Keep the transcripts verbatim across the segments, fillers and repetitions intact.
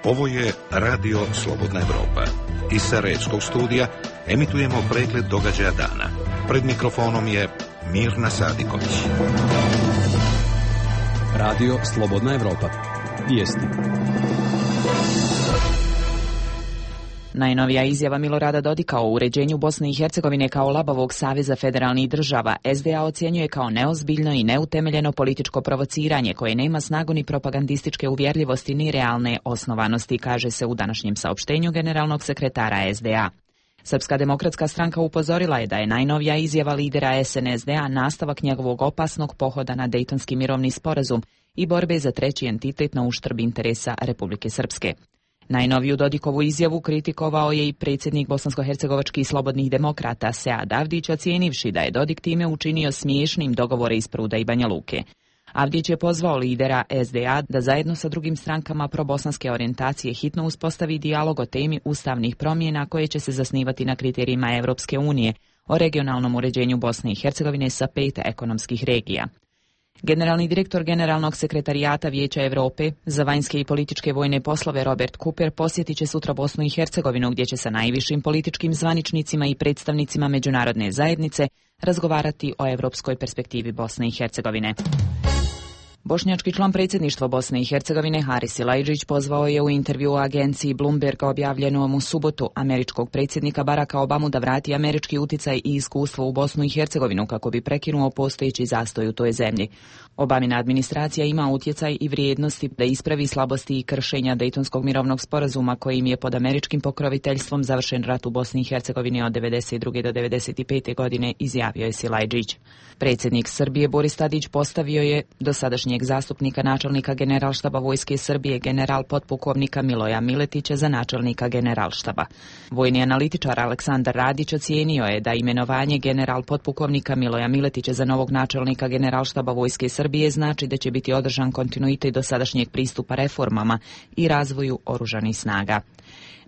Ovo je Radio Slobodna Evropa. Iz Sarajevskog studija emitujemo pregled događaja dana. Pred mikrofonom je Mirna Sadiković. Radio Slobodna Evropa. Vijesti. Najnovija izjava Milorada Dodika o uređenju Bosne i Hercegovine kao labavog saveza federalnih država S D A ocjenjuje kao neozbiljno i neutemeljeno političko provociranje koje nema snagu ni propagandističke uvjerljivosti ni realne osnovanosti, kaže se u današnjem saopštenju generalnog sekretara S D A. Srpska demokratska stranka upozorila je da je najnovija izjava lidera S N S D-a nastavak njegovog opasnog pohoda na Dejtonski mirovni sporazum i borbe za treći entitet na uštrb interesa Republike Srpske. Najnoviju Dodikovu izjavu kritikovao je i predsjednik bosansko-hercegovačkih slobodnih demokrata Sead Avdić, ocijenivši da je Dodik time učinio smiješnim dogovore iz Pruda i Banja Luke. Avdić je pozvao lidera S D A da zajedno sa drugim strankama probosanske orijentacije hitno uspostavi dijalog o temi ustavnih promjena koje će se zasnivati na kriterijima Europske unije o regionalnom uređenju Bosne i Hercegovine sa pet ekonomskih regija. Generalni direktor Generalnog sekretarijata Vijeća Europe za vanjske i političke vojne poslove Robert Cooper posjetit će sutra Bosnu i Hercegovinu, gdje će sa najvišim političkim zvaničnicima i predstavnicima međunarodne zajednice razgovarati o europskoj perspektivi Bosne i Hercegovine. Bošnjački član predsjedništva Bosne i Hercegovine Haris Silajdžić pozvao je u intervju u agenciji Bloomberg objavljenom u subotu američkog predsjednika Baracka Obamu da vrati američki uticaj i iskustvo u Bosnu i Hercegovinu kako bi prekinuo postojeći zastoj u toj zemlji. Obamina administracija ima utjecaj i vrijednosti da ispravi slabosti i kršenja Dejtonskog mirovnog sporazuma kojim je pod američkim pokroviteljstvom završen rat u Bosni i Hercegovini od devedeset druge do devedeset pete godine, izjavio je Silajdžić. Predsjednik Srbije Boris Tadić postavio je dosadašnjeg zastupnika načelnika Generalštaba Vojske Srbije general potpukovnika Miloja Miletića za načelnika Generalštaba. Vojni analitičar Aleksandar Radić ocijenio je da imenovanje general potpukovnika Miloja Miletića za novog načelnika Generalštaba Vojske Srbije znači da će biti održan kontinuitet dosadašnjeg pristupa reformama i razvoju oružanih snaga.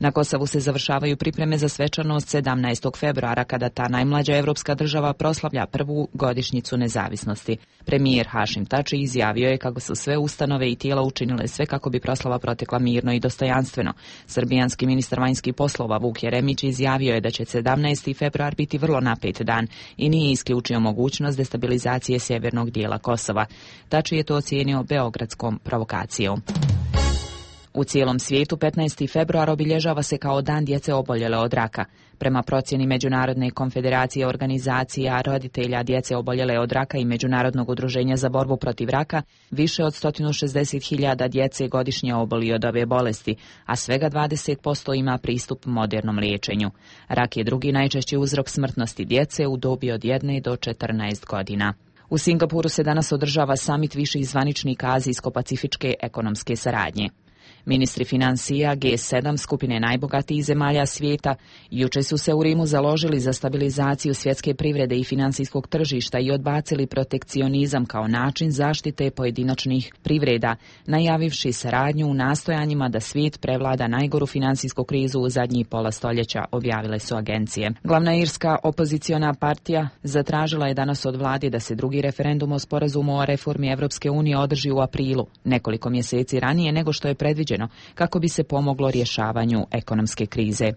Na Kosovu se završavaju pripreme za svečanost sedamnaestog februara kada ta najmlađa evropska država proslavlja prvu godišnjicu nezavisnosti. Premijer Hašim Tači izjavio je kako su sve ustanove i tijela učinile sve kako bi proslava protekla mirno i dostojanstveno. Srbijanski ministar vanjskih poslova Vuk Jeremić izjavio je da će sedamnaesti februar biti vrlo napet dan i nije isključio mogućnost destabilizacije sjevernog dijela Kosova. Tači je to ocijenio beogradskom provokacijom. U cijelom svijetu petnaesti februar obilježava se kao dan djece oboljele od raka. Prema procjeni Međunarodne konfederacije organizacija roditelja djece oboljele od raka i Međunarodnog udruženja za borbu protiv raka, više od sto šezdeset hiljada djece godišnje oboli od ove bolesti, a svega dvadeset posto ima pristup modernom liječenju. Rak je drugi najčešći uzrok smrtnosti djece u dobi od jedne do četrnaest godina. U Singapuru se danas održava samit viših zvaničnika Azijsko-pacifičke ekonomske saradnje. Ministri financija G sedam skupine najbogatijih zemalja svijeta jučer su se u Rimu založili za stabilizaciju svjetske privrede i financijskog tržišta i odbacili protekcionizam kao način zaštite pojedinačnih privreda, najavivši saradnju u nastojanjima da svijet prevlada najgoru financijsku krizu u zadnjih pola stoljeća, objavile su agencije. Glavna irska opoziciona partija zatražila je danas od vlade da se drugi referendum o sporazumu o reformi Europske unije održi u aprilu, nekoliko mjeseci ranije nego što je predviđeno, kako bi se pomoglo rješavanju ekonomske krize.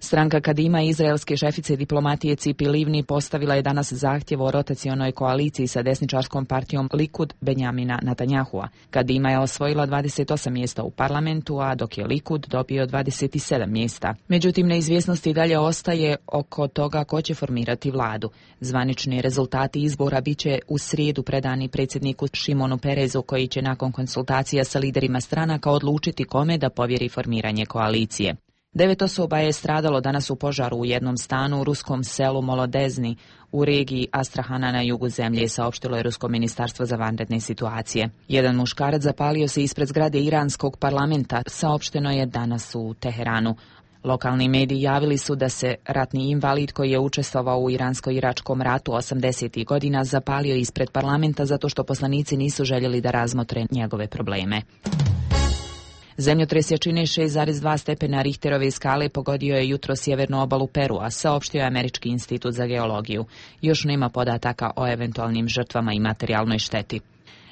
Stranka Kadima izraelske šefice diplomatije Cipi Livni postavila je danas zahtjev o rotacionoj koaliciji sa desničarskom partijom Likud Benjamina Netanjahua. Kadima je osvojila dvadeset osam mjesta u parlamentu, a dok je Likud dobio dvadeset sedam mjesta. Međutim, neizvjesnosti dalje ostaje oko toga ko će formirati vladu. Zvanični rezultati izbora bit će u srijedu predani predsjedniku Šimonu Perezu, koji će nakon konsultacija sa liderima stranaka odlučiti kome da povjeri formiranje koalicije. Devet osoba je stradalo danas u požaru u jednom stanu u ruskom selu Molodezni u regiji Astrahana na jugu zemlje, saopštilo je Rusko ministarstvo za vanredne situacije. Jedan muškarac zapalio se ispred zgrade iranskog parlamenta, saopšteno je danas u Teheranu. Lokalni mediji javili su da se ratni invalid koji je učestvovao u iransko-iračkom ratu osamdesetih godina zapalio ispred parlamenta zato što poslanici nisu željeli da razmotre njegove probleme. Zemljotres jačine šest zarez dva stepena Richterove skale pogodio je jutro sjevernu obalu Perua, saopštio je Američki institut za geologiju. Još nema podataka o eventualnim žrtvama i materijalnoj šteti.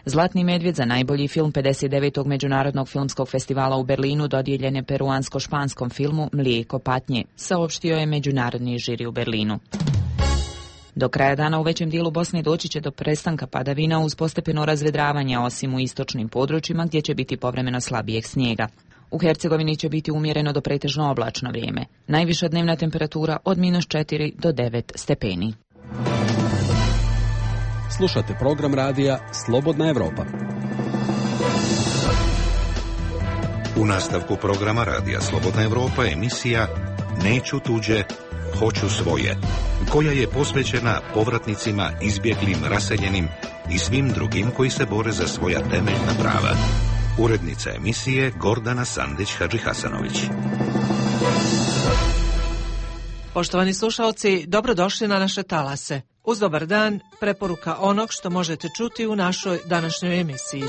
Zlatni medvjed za najbolji film pedeset devetog Međunarodnog filmskog festivala u Berlinu dodijeljen je peruansko-španskom filmu Mlijeko patnje, saopštio je međunarodni žiri u Berlinu. Do kraja dana u većem dijelu Bosne doći će do prestanka padavina uz postepeno razvedravanje, osim u istočnim područjima gdje će biti povremeno slabijeg snijega. U Hercegovini će biti umjereno do pretežno oblačno vrijeme. Najviša dnevna temperatura od minus četiri do devet stepeni. Slušate program radija Slobodna Evropa. U nastavku programa radija Slobodna Evropa emisija Neću tuđe, hoću svoje, koja je posvećena povratnicima, izbjeglim, raseljenim i svim drugim koji se bore za svoja temeljna prava. Urednica emisije Gordana Sandić-Hadžihasanović. Poštovani slušalci, dobrodošli na naše talase. Uz dobar dan, preporuka onog što možete čuti u našoj današnjoj emisiji.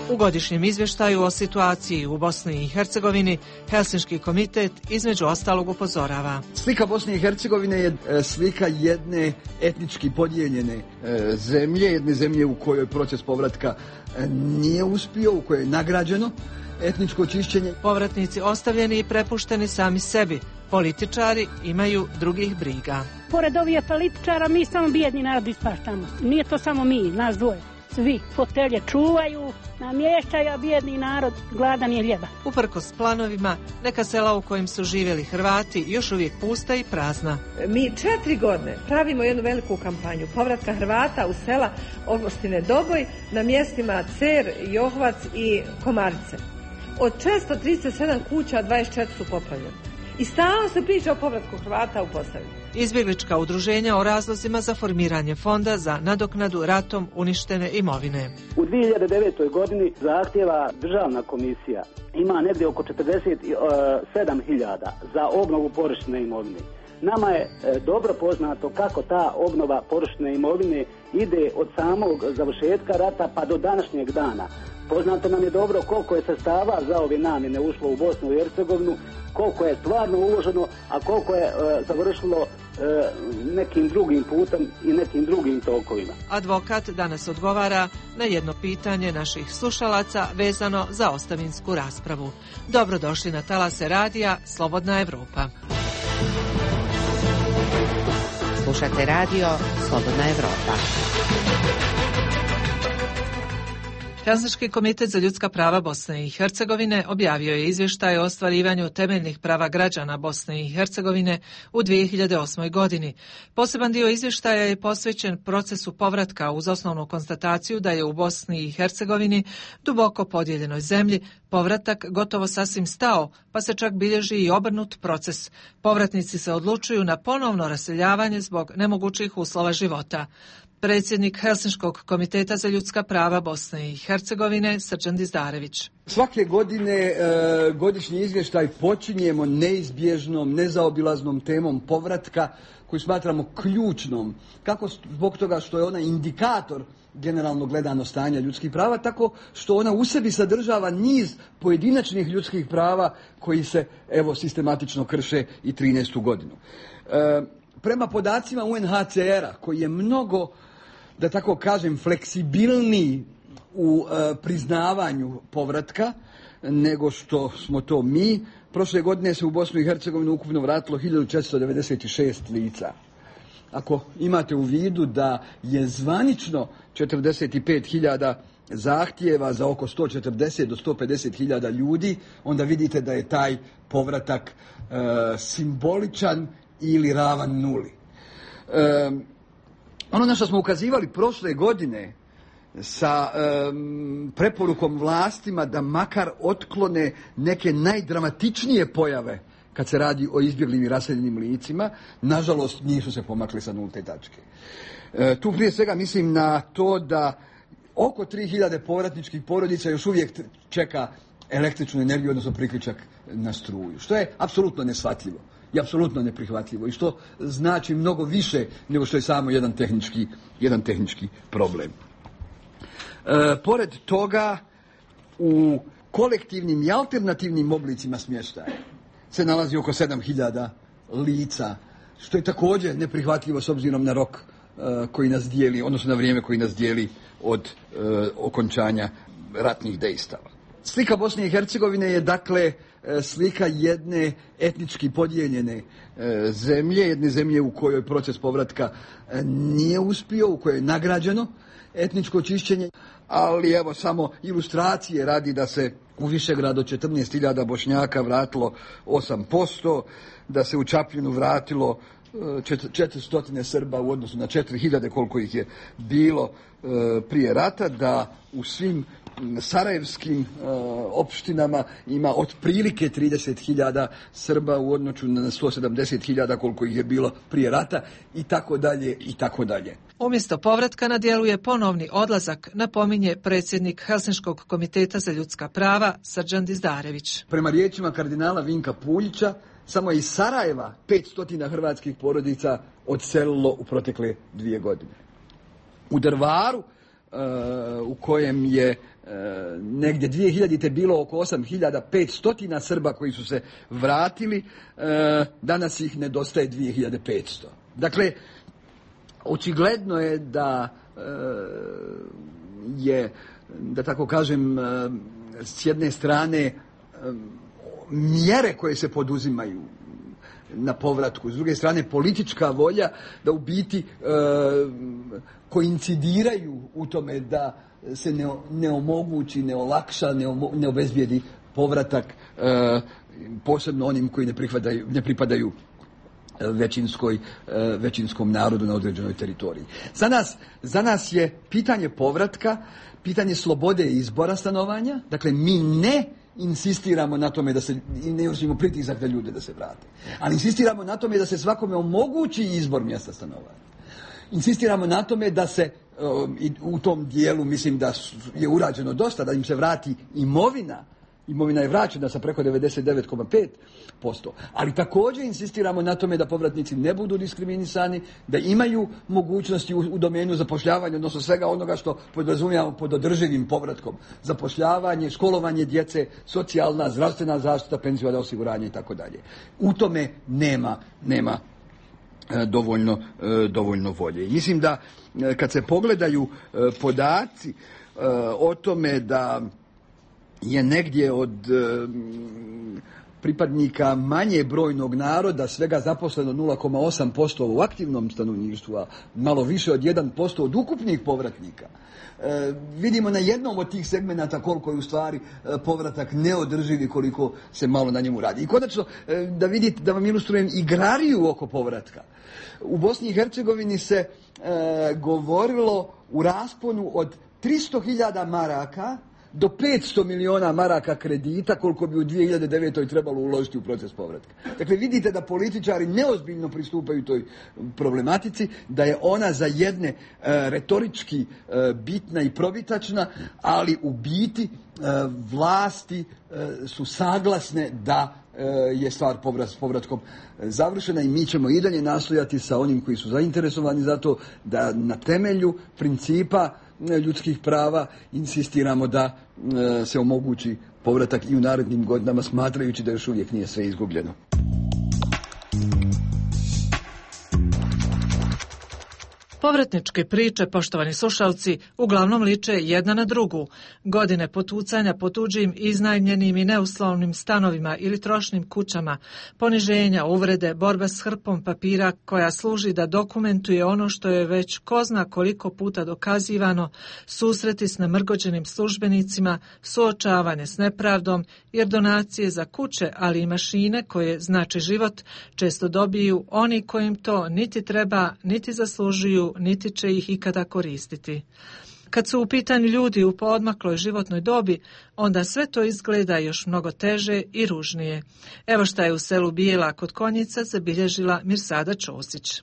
U godišnjem izvještaju o situaciji u Bosni i Hercegovini Helsinški komitet između ostalog upozorava. Slika Bosne i Hercegovine je slika jedne etnički podijeljene zemlje, jedne zemlje u kojoj proces povratka nije uspio, u kojoj je nagrađeno etničko čišćenje. Povratnici ostavljeni i prepušteni sami sebi. Političari imaju drugih briga. Pored ovih političara mi samo bijedni narod ispaštamo. Nije to samo mi, nas dvoje. Svi fotelje čuvaju, namještaju, a bijedni narod gladan je hljeba. Uprkos planovima, neka sela u kojim su živjeli Hrvati još uvijek pusta i prazna. Mi četiri godine pravimo jednu veliku kampanju povratka Hrvata u sela opštine Doboj na mjestima Cer, Johvac i Komarice. Od četiristo trideset sedam kuća dvadeset četiri su poplavljene. I stalno se priča o povratku Hrvata u Posavini. Izbjeglička udruženja o razlozima za formiranje fonda za nadoknadu ratom uništene imovine. U dvije hiljade devetoj godini zahtjeva državna komisija ima negdje oko četrdeset sedam hiljada za obnovu porušene imovine. Nama je e, dobro poznato kako ta obnova porušene imovine ide od samog završetka rata pa do današnjeg dana. Poznato nam je dobro koliko je sredstava za ove namjene ušlo u Bosnu i Hercegovinu, koliko je stvarno uloženo, a koliko je e, završilo e, nekim drugim putem i nekim drugim tokovima. Advokat danas odgovara na jedno pitanje naših slušalaca vezano za ostavinsku raspravu. Dobrodošli na talase radija Slobodna Evropa. Slušate radio Slobodna Evropa. Helsinški komitet za ljudska prava Bosne i Hercegovine objavio je izvještaj o ostvarivanju temeljnih prava građana Bosne i Hercegovine u dvije hiljade osmoj godini. Poseban dio izvještaja je posvećen procesu povratka uz osnovnu konstataciju da je u Bosni i Hercegovini, duboko podijeljenoj zemlji, povratak gotovo sasvim stao, pa se čak bilježi i obrnut proces. Povratnici se odlučuju na ponovno raseljavanje zbog nemogućih uslova života. Predsjednik Helsinškog komiteta za ljudska prava Bosne i Hercegovine Srđan Dizdarević. Svake godine e, godišnji izvještaj počinjemo neizbježnom, nezaobilaznom temom povratka koju smatramo ključnom. Kako zbog toga što je ona indikator generalno gledano stanja ljudskih prava, tako što ona u sebi sadržava niz pojedinačnih ljudskih prava koji se evo sistematično krše i trinaestu godinu. E, prema podacima U N H C R-a koji je mnogo, da tako kažem, fleksibilniji u e, priznavanju povratka nego što smo to mi. Prošle godine se u Bosnu i Hercegovinu ukupno vratilo hiljadu četiristo devedeset šest lica. Ako imate u vidu da je zvanično četrdeset pet hiljada zahtjeva za oko sto četrdeset do sto pedeset hiljada ljudi, onda vidite da je taj povratak e, simboličan ili ravan nuli. E, ono na što smo ukazivali prošle godine sa um, preporukom vlastima da makar otklone neke najdramatičnije pojave kad se radi o izbjeglim i raseljenim licima, nažalost nisu se pomakli sa nulte tačke. E, tu prije svega mislim na to da oko tri hiljade povratničkih porodica još uvijek čeka električnu energiju, odnosno priključak na struju, što je apsolutno neshvatljivo i apsolutno neprihvatljivo i što znači mnogo više nego što je samo jedan tehnički, jedan tehnički problem. E, pored toga, u kolektivnim i alternativnim oblicima smještaja se nalazi oko sedam hiljada lica, što je također neprihvatljivo s obzirom na rok koji nas dijeli, odnosno na vrijeme koji nas dijeli od okončanja ratnih dejstava. Slika Bosne i Hercegovine je dakle slika jedne etnički podijeljene zemlje, jedne zemlje u kojoj proces povratka nije uspio, u kojoj je nagrađeno etničko čišćenje, ali evo samo ilustracije radi da se u Višegrad od četrnaest hiljada Bošnjaka vratilo osam posto, da se u Čapljinu vratilo četiristo Srba u odnosu na četiri hiljade koliko ih je bilo prije rata, da u svim sarajevskim uh, opštinama ima otprilike trideset hiljada Srba u odnosu na sto sedamdeset hiljada koliko ih je bilo prije rata i tako dalje i tako dalje. Umjesto povratka na djelu je ponovni odlazak, napominje predsjednik Helsinškog komiteta za ljudska prava Srđan Dizdarević. Prema riječima kardinala Vinka Puljića, samo iz Sarajeva petsto hrvatskih porodica odselilo u protekle dvije godine. U Drvaru, uh, u kojem je uh, negdje dvije hiljadite bilo oko osam hiljada petsto Srba koji su se vratili, uh, danas ih nedostaje dvije hiljade petsto. Dakle, očigledno je da uh, je, da tako kažem, uh, s jedne strane uh, mjere koje se poduzimaju na povratku, s druge strane politička volja da u biti e, koincidiraju u tome da se ne, ne omogući, ne olakša, ne, omo, ne obezbijedi povratak e, posebno onim koji ne pripadaju, ne pripadaju većinskoj, većinskom narodu na određenoj teritoriji. Za nas, za nas je pitanje povratka, pitanje slobode izbora stanovanja, dakle mi ne insistiramo na tome da se, ne vršimo pritisak da ljude da se vrate, ali insistiramo na tome da se svakome omogući izbor mjesta stanovanja. Insistiramo na tome da se u tom dijelu, mislim da je urađeno dosta, da im se vrati imovina. Imovina je vraćena sa preko devedeset devet zarez pet posto, ali također insistiramo na tome da povratnici ne budu diskriminisani, da imaju mogućnosti u, u domenu zapošljavanja, odnosno svega onoga što podrazumijevamo pod održivim povratkom. Zapošljavanje, školovanje djece, socijalna, zdravstvena zaštita, penzijsko osiguranje i tako dalje. U tome nema, nema e, dovoljno, e, dovoljno volje. I mislim da e, kad se pogledaju e, podaci e, o tome da je negdje od e, pripadnika manje brojnog naroda svega zaposleno nula zarez osam posto u aktivnom stanovništvu, a malo više od jedan posto od ukupnih povratnika. E, vidimo na jednom od tih segmenata koliko je u stvari e, povratak neodrživ i koliko se malo na njemu radi. I konačno, e, da vidite, da vam ilustrujem igrariju oko povratka. U Bosni i Hercegovini se e, govorilo u rasponu od tristo hiljada maraka do petsto miliona maraka kredita koliko bi u dvije hiljade devetoj trebalo uložiti u proces povratka. Dakle, vidite da političari neozbiljno pristupaju toj problematici, da je ona za jedne e, retorički e, bitna i probitačna, ali u biti e, vlasti e, su saglasne da e, je stvar povrat, s povratkom završena i mi ćemo i dalje nastojati sa onim koji su zainteresovani za to da na temelju principa ljudskih prava insistiramo da e, se omogući povratak i u narednim godinama, smatrajući da još uvijek nije sve izgubljeno. Povratničke priče, poštovani slušalci, uglavnom liče jedna na drugu. Godine potucanja po tuđim, iznajmljenim i neuslovnim stanovima ili trošnim kućama, poniženja, uvrede, borba s hrpom papira koja služi da dokumentuje ono što je već ko zna koliko puta dokazivano, susreti s namrgođenim službenicima, suočavanje s nepravdom, jer donacije za kuće, ali i mašine koje znače život, često dobiju oni kojim to niti treba, niti zaslužuju, niti će ih ikada koristiti. Kad su u pitanju ljudi u poodmakloj životnoj dobi, onda sve to izgleda još mnogo teže i ružnije. Evo šta je u selu Bijela kod Konjica zabilježila Mirsada Ćosić.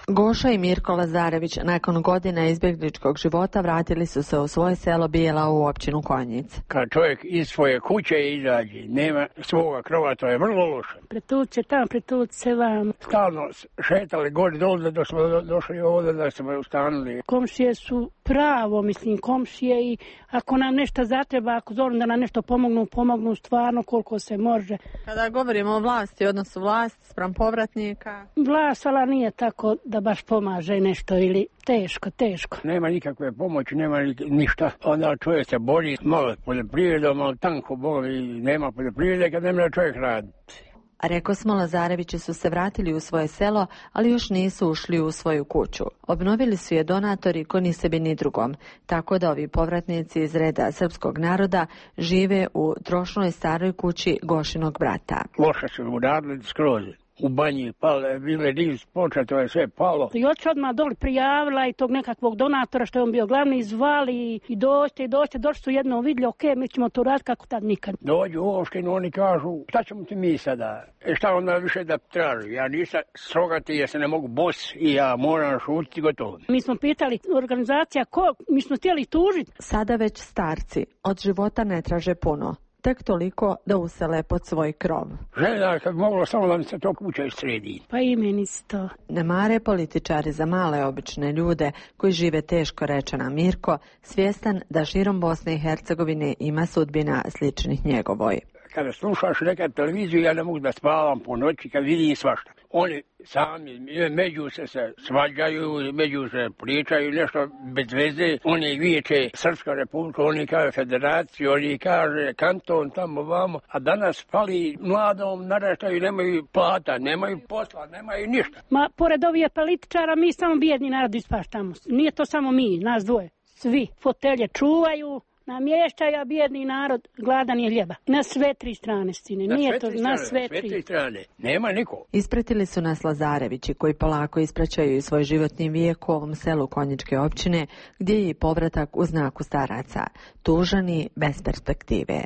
Goša i Mirko Lazarević nakon godina izbjegličkog života vratili su se u svoje selo Bijela u općinu Konjic. Kad čovjek iz svoje kuće izađe, nema svoga krova, to je vrlo loše. Pretuć se tam, pretuć se vam. Stalno šetali gore dole da smo došli ovdje, da smo ustanuli. Komšije su pravo, mislim, komšije i ako nam nešto zatreba, ako zoru da nam nešto pomognu, pomognu stvarno koliko se može. Kada govorimo o vlasti, odnosu vlast spram povratnika? Vlast, ali nije tako da baš pomaže nešto ili teško, teško. Nema nikakve pomoći, nema ništa. Onda čovjek se bori malo poljoprivredom, ali tanko boli, nema poljoprivrede kad ne može čovjek raditi. A reko smo, Lazarevići su se vratili u svoje selo, ali još nisu ušli u svoju kuću. Obnovili su je donatori ko ni sebi ni drugom, tako da ovi povratnici iz reda srpskog naroda žive u trošnoj staroj kući Gošinog brata. Loše su uradili skroz. U banji pale, bile niz poča, to je sve palo. I oči odmah doli prijavila i tog nekakvog donatora što je on bio glavni, zvali i dođite, i dođite, došli su jednom vidjeli, ok, mi ćemo to raditi kako tad nikad. Dođu u opštinu, oni kažu, šta ćemo ti mi sada? E šta onda više da traži? Ja nisam srogati, ja se ne mogu bos i ja moram šutiti, gotovo. Mi smo pitali organizacija ko, mi smo htjeli tužiti. Sada već starci od života ne traže puno. Tek toliko da usele pod svoj krov. Žena, kad moglo samo da mi se to kuća sredi. Pa i meni isto. Ne mare političari za male obične ljude koji žive teško, reče nam Mirko, svjestan da širom Bosne i Hercegovine ima sudbina sličnih njegovoj. Kada slušaš nekad televiziju, ja ne mogu da spavam po noći kad vidim svašta. Oni sami među se se svađaju, među se pričaju nešto bez veze. Oni viječe Srpska republika, oni kaže federaciju, oni kaže kanton tamo vamo. A danas pali mladom naraštaju, nemaju plata, nemaju posla, nemaju ništa. Ma pored ovih političara mi samo bijedni narod ispaštamo. Nije to samo mi, nas dvoje. Svi fotelje čuvaju. Namještaja, bijedni narod, gladan je hljeba. Na sve tri strane, stine. Na Nije sve to, tri na strane, sve sve tri. tri strane. Nema niko. Ispratili su nas Lazarevići koji polako ispraćaju svoj životni vijek u ovom selu Konjičke općine, gdje je i povratak u znaku staraca. Tužani, bez perspektive.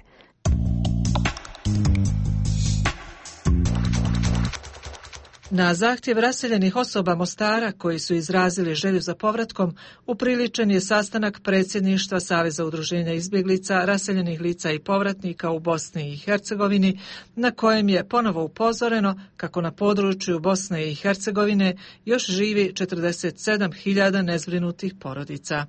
Na zahtjev raseljenih osoba Mostara koji su izrazili želju za povratkom, upriličen je sastanak predsjedništva Saveza udruženja izbjeglica, raseljenih lica i povratnika u Bosni i Hercegovini, na kojem je ponovo upozoreno kako na području Bosne i Hercegovine još živi četrdeset sedam hiljada nezbrinutih porodica.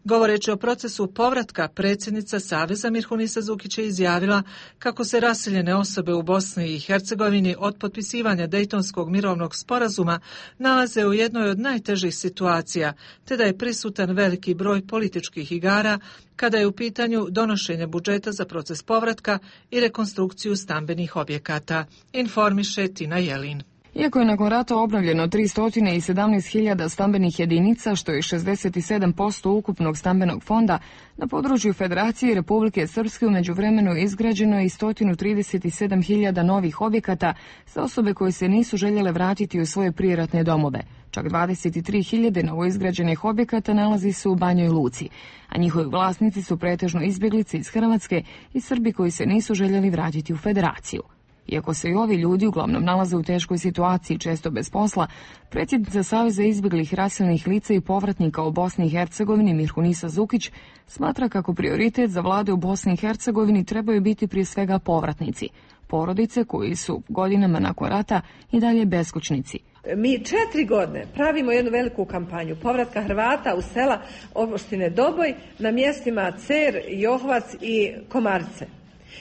Govoreći o procesu povratka, predsjednica Saveza Mirhunisa Zukić je izjavila kako se raseljene osobe u Bosni i Hercegovini od potpisivanja Dejtonskog mirovnog sporazuma nalaze u jednoj od najtežih situacija, te da je prisutan veliki broj političkih igara kada je u pitanju donošenje budžeta za proces povratka i rekonstrukciju stambenih objekata, informiše Tina Jelin. Iako je nakon rata obnovljeno tristo sedamnaest hiljada stambenih jedinica, što je šezdeset sedam posto ukupnog stambenog fonda, na području Federacije i Republike Srpske u međuvremenu je izgrađeno i sto trideset sedam hiljada novih objekata za osobe koje se nisu željele vratiti u svoje prijeratne domove. Čak dvadeset tri hiljade novoizgrađenih objekata nalazi se u Banjoj Luci, a njihovi vlasnici su pretežno izbjeglice iz Hrvatske i Srbi koji se nisu željeli vratiti u Federaciju. Iako se i ovi ljudi uglavnom nalaze u teškoj situaciji, često bez posla, predsjednica Saveza izbjeglih raseljenih lica i povratnika u Bosni i Hercegovini Mirhunisa Zukić smatra kako prioritet za vlade u Bosni i Hercegovini trebaju biti prije svega povratnici, porodice koji su godinama nakon rata i dalje beskućnici. Mi četiri godine pravimo jednu veliku kampanju povratka Hrvata u sela opštine Doboj na mjestima Cer, Johvac i Komarice.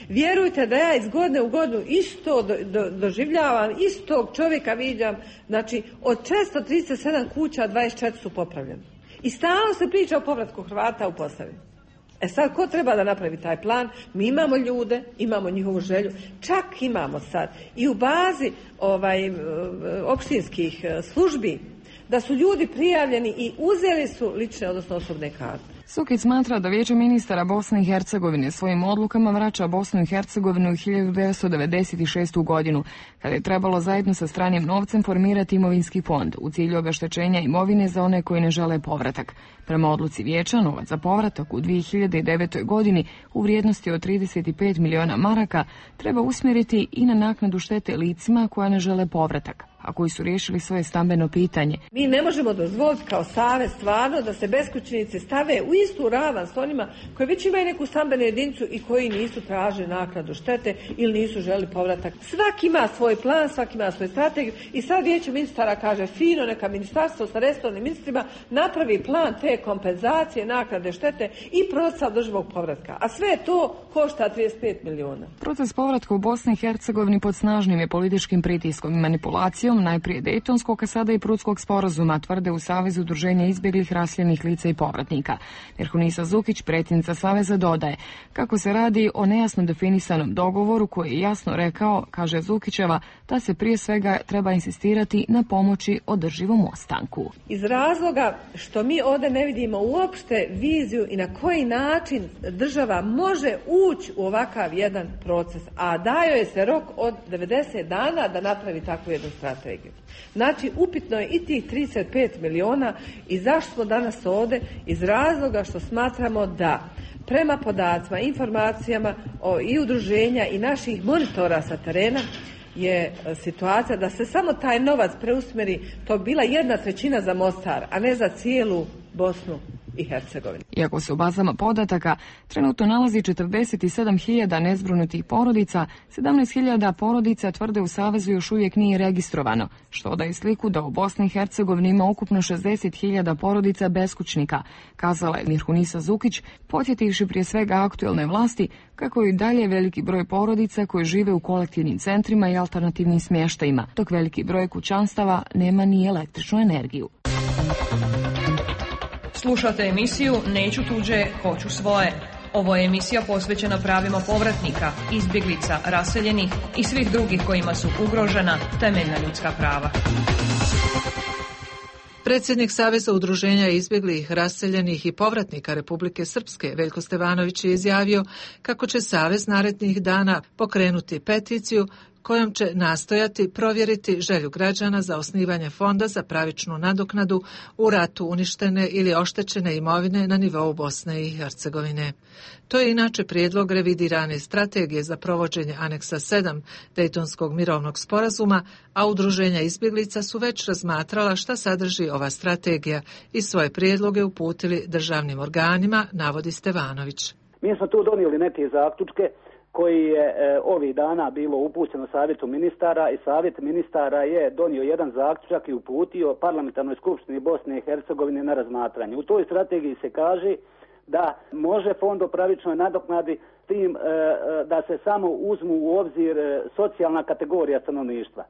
Vjerujte da ja iz godine u godinu isto do, do, doživljavam, istog čovjeka viđam, znači od četiristo trideset sedam kuća dvadeset četiri su popravljene. I stalno se priča o povratku Hrvata u Posavini. E sad, ko treba da napravi taj plan? Mi imamo ljude, imamo njihovu želju, čak imamo sad i u bazi ovaj, opštinskih službi da su ljudi prijavljeni i uzeli su lične, odnosno osobne karte. Sukić smatra da Vijeće ministara Bosne i Hercegovine svojim odlukama vraća Bosnu i Hercegovinu u hiljadu devetsto devedeset šestu godinu, kada je trebalo zajedno sa stranim novcem formirati imovinski fond u cilju obeštećenja imovine za one koji ne žele povratak. Prema odluci Vijeća, novac za povratak u dvije hiljade devetoj godini u vrijednosti od trideset pet miliona maraka treba usmjeriti i na naknadu štete licima koja ne žele povratak, a koji su riješili svoje stambeno pitanje. Mi ne možemo dozvoliti kao savez stvarno da se beskućnici stave u istu ravan s onima koji već imaju neku stambenu jedinicu i koji nisu tražili naknadu štete ili nisu želi povratak. Svaki ima svoj plan, svaki ima svoju strategiju i sad vijeće ministara kaže fino, neka ministarstvo sa resornim ministrima napravi plan te kompenzacije, naknade štete i proces održivog povratka. A sve to košta trideset pet miliona. Proces povratka u Bosni i Hercegovini pod snažnim je političkim pritiskom i manipulacijom, najprije Dejtonskog, a sada i Prudskog sporazuma, tvrde u Savezu udruženja izbjeglih, raseljenih lica i povratnika. Mirhunisa Zukić, predsjednica Saveza, dodaje kako se radi o nejasno definisanom dogovoru koji je jasno rekao, kaže Zukićeva, da se prije svega treba insistirati na pomoći održivom ostanku. Iz razloga što mi ovdje ne vidimo uopšte viziju i na koji način država može ući u ovakav jedan proces, a daje joj se rok od devedeset dana da napravi takvu jednu strategiju. Znači, upitno je i tih trideset pet miliona i zašto smo danas ovdje? Iz razloga što smatramo da prema podacima, informacijama o, i udruženja i naših monitora sa terena je situacija da se samo taj novac preusmeri, to bila jedna trećina za Mostar, a ne za cijelu Bosnu i Hercegovinu. Iako se u bazama podataka trenutno nalazi četrdeset sedam hiljada nezbrinutih porodica, sedamnaest hiljada porodica, tvrde u Savezu, još uvijek nije registrovano, što daje sliku da u Bosni i Hercegovini ima ukupno šezdeset hiljada porodica beskućnika, kazala je Mirhunisa Zukić, podsjetivši prije svega aktuelne vlasti kako je i dalje veliki broj porodica koji žive u kolektivnim centrima i alternativnim smještajima, dok veliki broj kućanstava nema ni električnu energiju. Slušate emisiju Neću tuđe, hoću svoje. Ovo je emisija posvećena pravima povratnika, izbjeglica, raseljenih i svih drugih kojima su ugrožena temeljna ljudska prava. Predsjednik Saveza udruženja izbjeglih, raseljenih i povratnika Republike Srpske, Veljko Stevanović, je izjavio kako će Savez narednih dana pokrenuti peticiju kojom će nastojati provjeriti želju građana za osnivanje fonda za pravičnu nadoknadu u ratu uništene ili oštećene imovine na nivou Bosne i Hercegovine. To je inače prijedlog revidirane strategije za provođenje aneksa sedam Dejtonskog mirovnog sporazuma, a udruženja izbjeglica su već razmatrala šta sadrži ova strategija i svoje prijedloge uputili državnim organima, navodi Stevanović. Mi smo tu donijeli neke zaključke koji je e, ovih dana bilo upućeno Savjetu ministara i Savjet ministara je donio jedan zaključak i uputio Parlamentarnoj skupštini Bosne i Hercegovine na razmatranje. U toj strategiji se kaže da može fond o pravičnoj nadoknadi s tim e, da se samo uzmu u obzir e, socijalna kategorija stanovništva.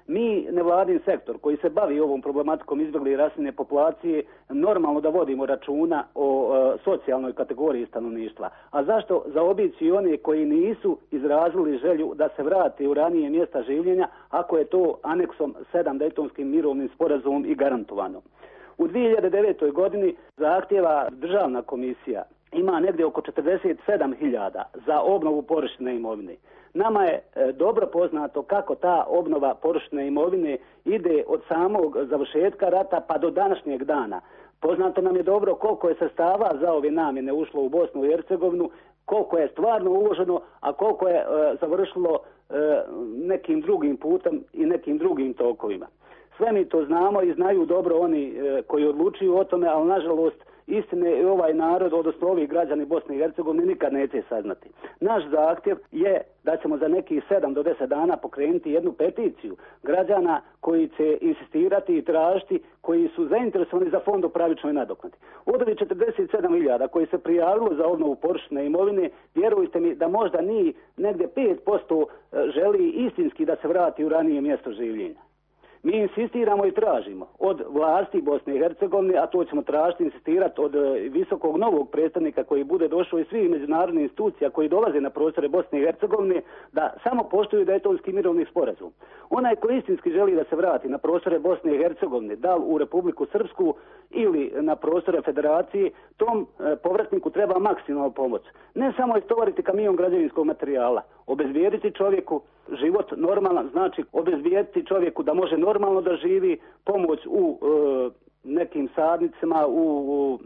Mi, nevladin sektor koji se bavi ovom problematikom izbjegle i raseljene populacije, normalno da vodimo računa o e, socijalnoj kategoriji stanovništva. A zašto zaobići i one koji nisu izrazili želju da se vrate u ranije mjesta življenja, ako je to aneksom sedam Dejtonskim mirovnim sporazumom i garantovano? U dvije hiljade devetoj godini zahtjeva državna komisija ima negdje oko četrdeset sedam hiljada za obnovu površine imovine. Nama je e, dobro poznato kako ta obnova površine imovine ide od samog završetka rata pa do današnjeg dana. Poznato nam je dobro koliko je sredstava za ove namjene ušlo u Bosnu i Hercegovinu, koliko je stvarno uloženo, a koliko je e, završilo e, nekim drugim putem i nekim drugim tokovima. Sve mi to znamo i znaju dobro oni e, koji odlučuju o tome, ali nažalost istine i ovaj narod, odnosno ovi građani Bosne i Hercegovine nikad neće saznati. Naš zahtjev je da ćemo za nekih sedam do deset dana pokrenuti jednu peticiju građana koji će insistirati i tražiti, koji su zainteresovani za fond o pravičnoj nadoknadi. Od ovih četrdeset sedam hiljada koji se prijavilo za obnovu površine imovine, vjerujte mi da možda ni negdje pet posto želi istinski da se vrati u ranije mjesto življenja. Mi insistiramo i tražimo od vlasti Bosne i Hercegovine, a to ćemo tražiti, insistirati od visokog novog predstavnika koji bude došao iz svih međunarodnih institucija koji dolaze na prostore Bosne i Hercegovine, da samo poštuju Dejtonski mirovni sporazum. Onaj koji istinski želi da se vrati na prostore Bosne i Hercegovine, da li u Republiku Srpsku ili na prostore Federacije, tom e, povratniku treba maksimalno pomoć. Ne samo istovariti kamion građevinskog materijala, obezbijediti čovjeku život normalan, znači obezbijediti čovjeku da može normalno da živi, pomoć u e, nekim sadnicama, u, u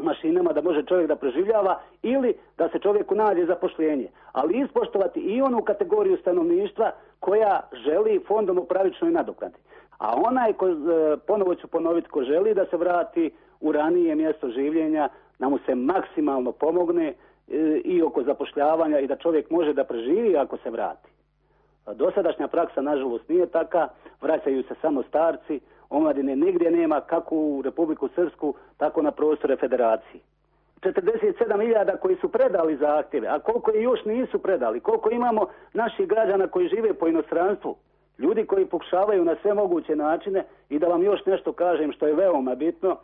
mašinama da može čovjek da preživljava ili da se čovjeku nađe zapošljenje. Ali ispoštovati i onu kategoriju stanovništva koja želi fondom u pravičnoj nadoknadi. A onaj, ko, ponovo ću ponoviti, ko želi da se vrati u ranije mjesto življenja, da mu se maksimalno pomogne i oko zapošljavanja i da čovjek može da preživi ako se vrati. Dosadašnja praksa, nažalost, nije taka, vraćaju se samo starci, omladine nigdje nema, kako u Republiku Srpsku, tako na prostore federacije. četrdeset sedam hiljada koji su predali zahtjeve, a koliko i još nisu predali, koliko imamo naših građana koji žive po inostranstvu, ljudi koji pokušavaju na sve moguće načine. I da vam još nešto kažem što je veoma bitno,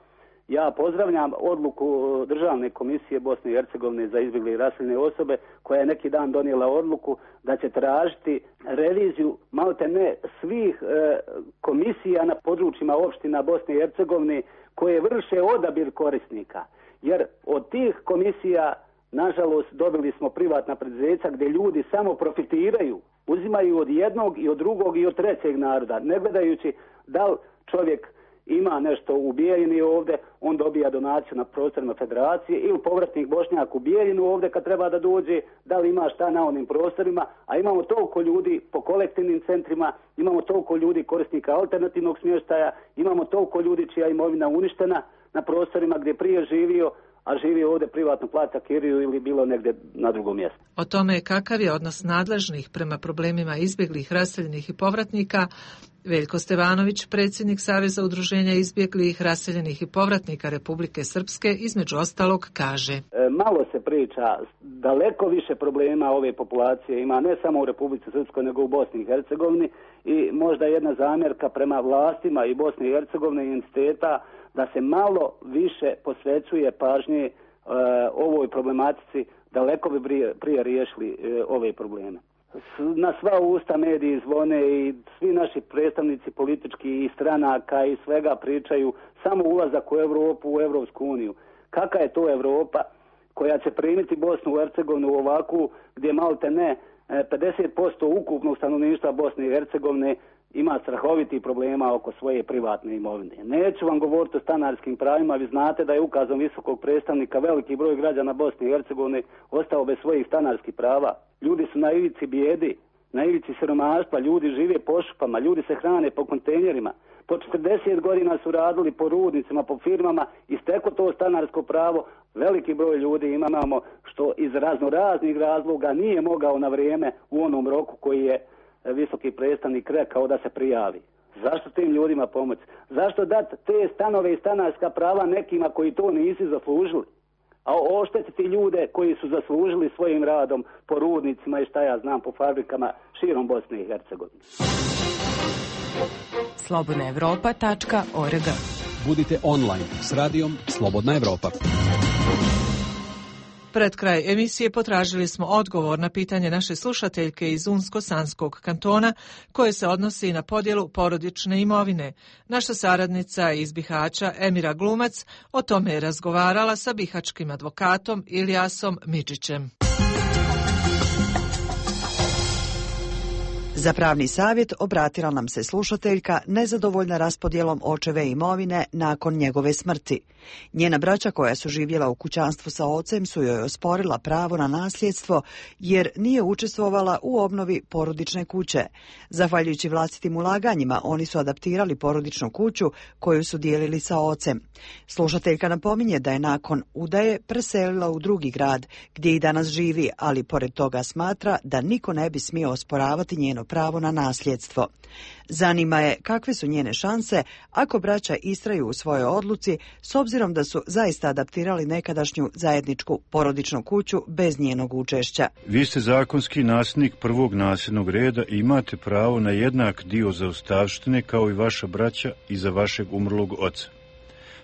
ja pozdravljam odluku Državne komisije Bosne i Hercegovine za izbjegle i raseljene osobe, koja je neki dan donijela odluku da će tražiti reviziju malte ne svih e, komisija na područjima opština Bosne i Hercegovine koje vrše odabir korisnika. Jer od tih komisija, nažalost, dobili smo privatna preduzeća gdje ljudi samo profitiraju, uzimaju od jednog i od drugog i od trećeg naroda, ne gledajući da li čovjek ima nešto u Bijeljini ovdje, on dobija donaciju na prostorima federacije, ili povratnik Bošnjak u Bijeljinu ovdje kad treba da dođe, da li ima šta na onim prostorima, a imamo toliko ljudi po kolektivnim centrima, imamo toliko ljudi korisnika alternativnog smještaja, imamo toliko ljudi čija imovina uništena na prostorima gdje prije živio, a živi ovdje privatno plaća kiriju ili bilo negdje na drugom mjestu. O tome kakav je odnos nadležnih prema problemima izbjeglih, raseljenih i povratnika, Veljko Stevanović, predsjednik Saveza udruženja izbjeglih, raseljenih i povratnika Republike Srpske, između ostalog kaže. E, malo se priča, daleko više problema ove populacije ima ne samo u Republici Srpskoj nego u Bosni i Hercegovini, i možda jedna zamjerka prema vlastima i Bosne i Hercegovine i entiteta da se malo više posvećuje pažnje e, ovoj problematici, daleko bi prije, prije riješili e, ove probleme. Na sva usta mediji zvone i svi naši predstavnici politički i stranaka i svega pričaju samo ulazak u Europu, u Europsku uniju. Kakva je to Europa koja će primiti Bosnu i Hercegovinu ovakvu, gdje malte ne pedeset posto ukupnog stanovništva Bosne i Hercegovine ima strahovitih problema oko svoje privatne imovine. Neću vam govoriti o stanarskim pravima, vi znate da je ukazom visokog predstavnika veliki broj građana Bosne i Hercegovine ostao bez svojih stanarskih prava. Ljudi su na ivici bijedi, na ivici siromaštva, ljudi žive po šupama, ljudi se hrane po kontejnerima. Po četrdeset godina su radili po rudnicima, po firmama i steklo to stanarsko pravo. Veliki broj ljudi imamo što iz razno raznih razloga nije mogao na vrijeme u onom roku koji je visoki predstavnik rekao da se prijavi. Zašto tim ljudima pomoći? Zašto dati te stanove i stanarska prava nekima koji to nisu zaslužili? A oštetiti ljude koji su zaslužili svojim radom po rudnicima i šta ja znam po fabrikama širom Bosne i Hercegovine. slobodna evropa tačka org. Budite online s radijom Slobodna Evropa. Pred kraj emisije potražili smo odgovor na pitanje naše slušateljke iz Unsko-Sanskog kantona koje se odnosi na podjelu porodične imovine. Naša saradnica iz Bihaća Emira Glumac o tome je razgovarala sa bihačkim advokatom Iljasom Midžićem. Za pravni savjet obratila nam se slušateljka nezadovoljna raspodjelom očeve imovine nakon njegove smrti. Njena braća koja su živjela u kućanstvu sa ocem su joj osporila pravo na nasljedstvo jer nije učestvovala u obnovi porodične kuće. Zahvaljujući vlastitim ulaganjima oni su adaptirali porodičnu kuću koju su dijelili sa ocem. Slušateljka napominje da je nakon udaje preselila u drugi grad gdje i danas živi, ali pored toga smatra da niko ne bi smio osporavati njeno pravo na nasljedstvo. Zanima je kakve su njene šanse ako braća istraju u svojoj odluci s obzirom da su zaista adaptirali nekadašnju zajedničku porodičnu kuću bez njenog učešća. Vi ste zakonski nasljednik prvog nasljednog reda i imate pravo na jednak dio zaostavštine kao i vaša braća iza vašeg umrlog oca.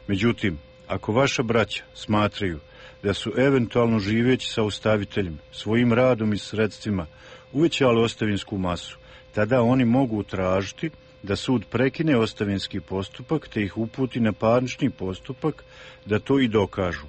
Međutim, ako vaša braća smatraju da su eventualno živeći sa ostaviteljem svojim radom i sredstvima uvećali ostavinsku masu, tada oni mogu tražiti da sud prekine ostavinski postupak te ih uputi na parnični postupak da to i dokažu.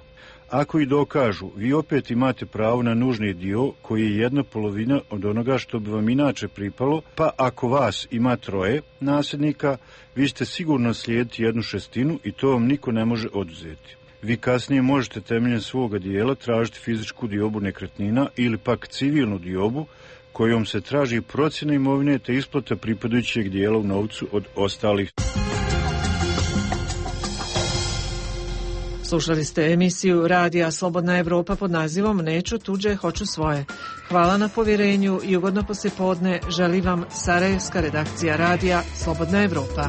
Ako i dokažu, vi opet imate pravo na nužni dio koji je jedna polovina od onoga što bi vam inače pripalo, pa ako vas ima troje nasljednika, vi ste sigurno slijediti jednu šestinu i to vam niko ne može oduzeti. Vi kasnije možete temeljem svoga dijela tražiti fizičku diobu nekretnina ili pak civilnu diobu kojom se traži procjena imovine te isplata pripadajućeg dijela u novcu od ostalih. Slušali ste emisiju Radija Slobodna Evropa pod nazivom Neću tuđe, hoću svoje. Hvala na povjerenju i ugodno poslijepodne želi vam Sarajevska redakcija Radija Slobodna Evropa.